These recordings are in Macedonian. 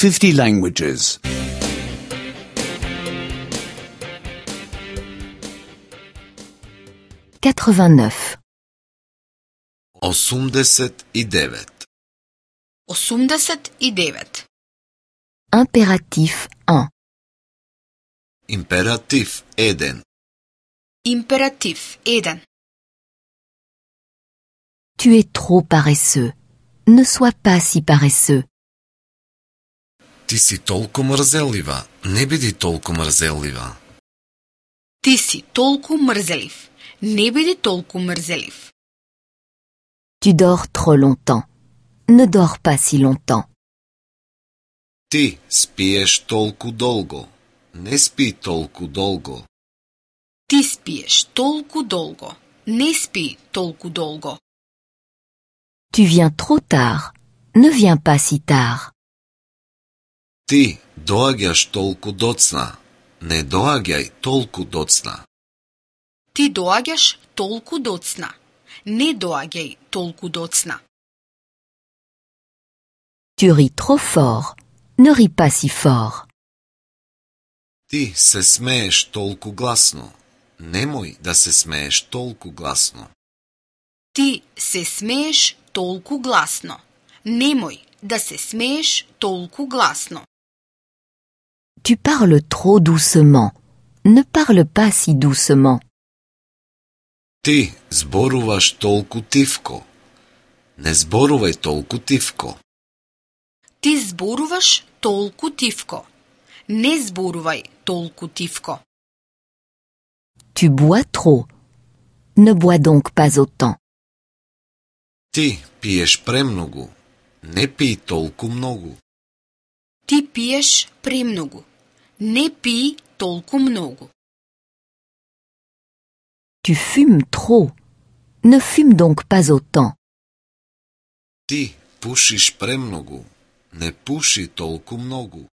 50 languages. 89. 89. 89. Impératif 1. Императив 1. Императив 1. Tu es trop paresseux. Ne sois pas si paresseux. Ти си толку мрзелива. Не биди толку мрзелива. Ти си толку мрзелив. Не биди толку мрзелив. Tu dors trop longtemps. Ne dors pas si longtemps. Ти спиеш толку долго. Не спи толку долго. Ти спиеш толку долго. Не спи толку долго. Tu viens trop tard. Ne viens pas si tard. Ти доаѓаш толку доцна. Не доаѓај толку доцна. Ти доаѓаш толку доцна. Не доаѓај толку доцна. Tu ris trop fort. Ne ris pas si fort. Ти се смееш толку гласно. Немој да се смееш толку гласно. Ти се смееш толку гласно. Немој да се смееш толку гласно. Tu parles trop doucement. Ne parle pas si doucement. Ти зборуваш толку тивко. Не зборувај толку тивко. Ти зборуваш толку тивко. Не зборувај толку тивко. Tu bois trop. Ne bois donc pas autant. Ти пиеш премногу. Не пий толку многу. Ти пиеш премногу. Не пий толку многу. Tu fumes trop. Ne fume donc pas autant. Ти пушиш премногу. Не пуши толку многу.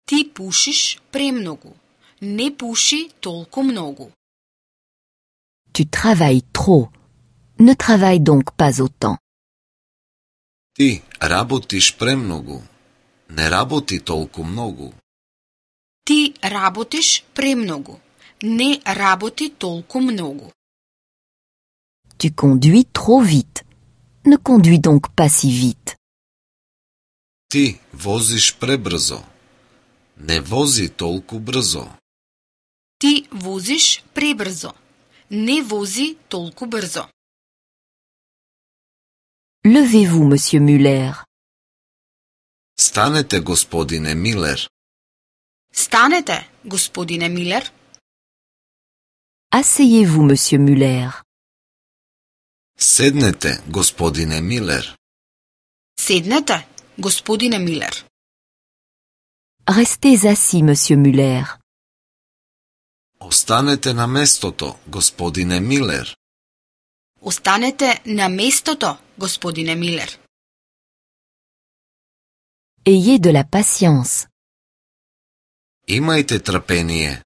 Ти пушиш премногу. Не пуши толку многу. Tu travailles trop. Ne travaille donc pas autant. Ти работиш премногу. Не работи толку многу. Ти работиш премногу. Не работи толку многу. Tu conduis trop vite. Ne conduis donc pas si vite. Ти возиш пребрзо. Не вози толку брзо. Ти возиш пребрзо. Не вози толку брзо. Levez-vous, monsieur Muller. Станете, господине Милер. Станете, господине Милер. Asseyez-vous, monsieur Muller. Седнете, господине Милер. Седнете, господине Милер. Restez assis, monsieur Muller. Останете на местото, господине Милер. Останете на местото, господине Милер. Ayez de la patience. Имајте трпение.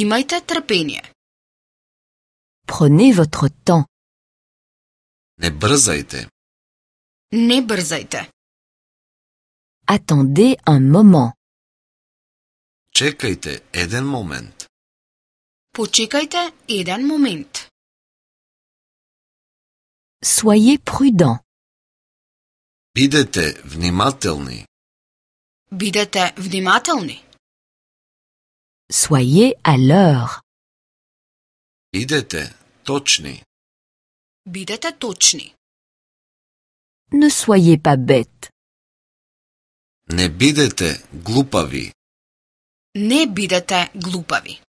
Имајте трпение. Prenez votre temps. Не брзајте. Не брзајте. Attendez un moment. Чекајте еден момент. Почекајте еден момент. Soyez prudent. Бидете внимателни. Бидете внимателни. Soyez à l'heure. Бидете точни. Бидете точни. Ne soyez pas bête. Не бидете глупави. Не бидете глупави.